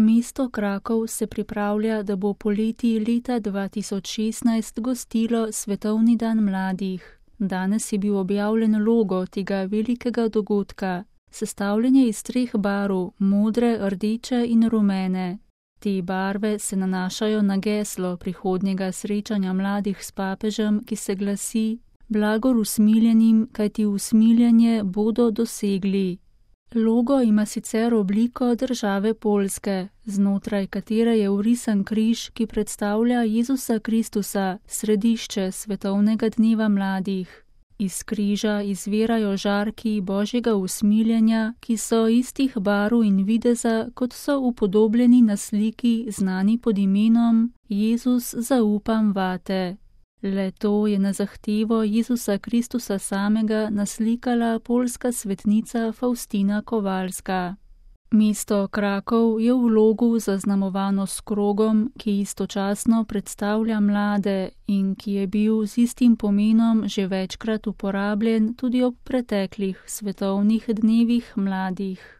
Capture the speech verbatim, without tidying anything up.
Mesto Krakov se pripravlja, da bo poleti leta dva tisoč šestnajst gostilo Svetovni dan mladih. Danes je bil objavljen logo tega velikega dogodka, sestavljen je iz treh barv, modre, rdeče in rumene. Te barve se nanašajo na geslo prihodnjega srečanja mladih s papežem, ki se glasi: Blagor usmiljenim, kajti usmiljanje bodo dosegli. Logo ima sicer obliko države Poljske, znotraj katere je vrisan križ, ki predstavlja Jezusa Kristusa, središče Svetovnega dneva mladih. Iz križa izvirajo žarki Božjega usmiljenja, ki so istih barv in videza, kot so upodobljeni na sliki, znani pod imenom Jezus, zaupam vate. Le to je na zahtevo Jezusa Kristusa samega naslikala poljska svetnica Faustina Kowalska. Mesto Krakov je v logu zaznamovano s krogom, ki istočasno predstavlja mlade in ki je bil z istim pomenom že večkrat uporabljen tudi ob preteklih svetovnih dnevih mladih.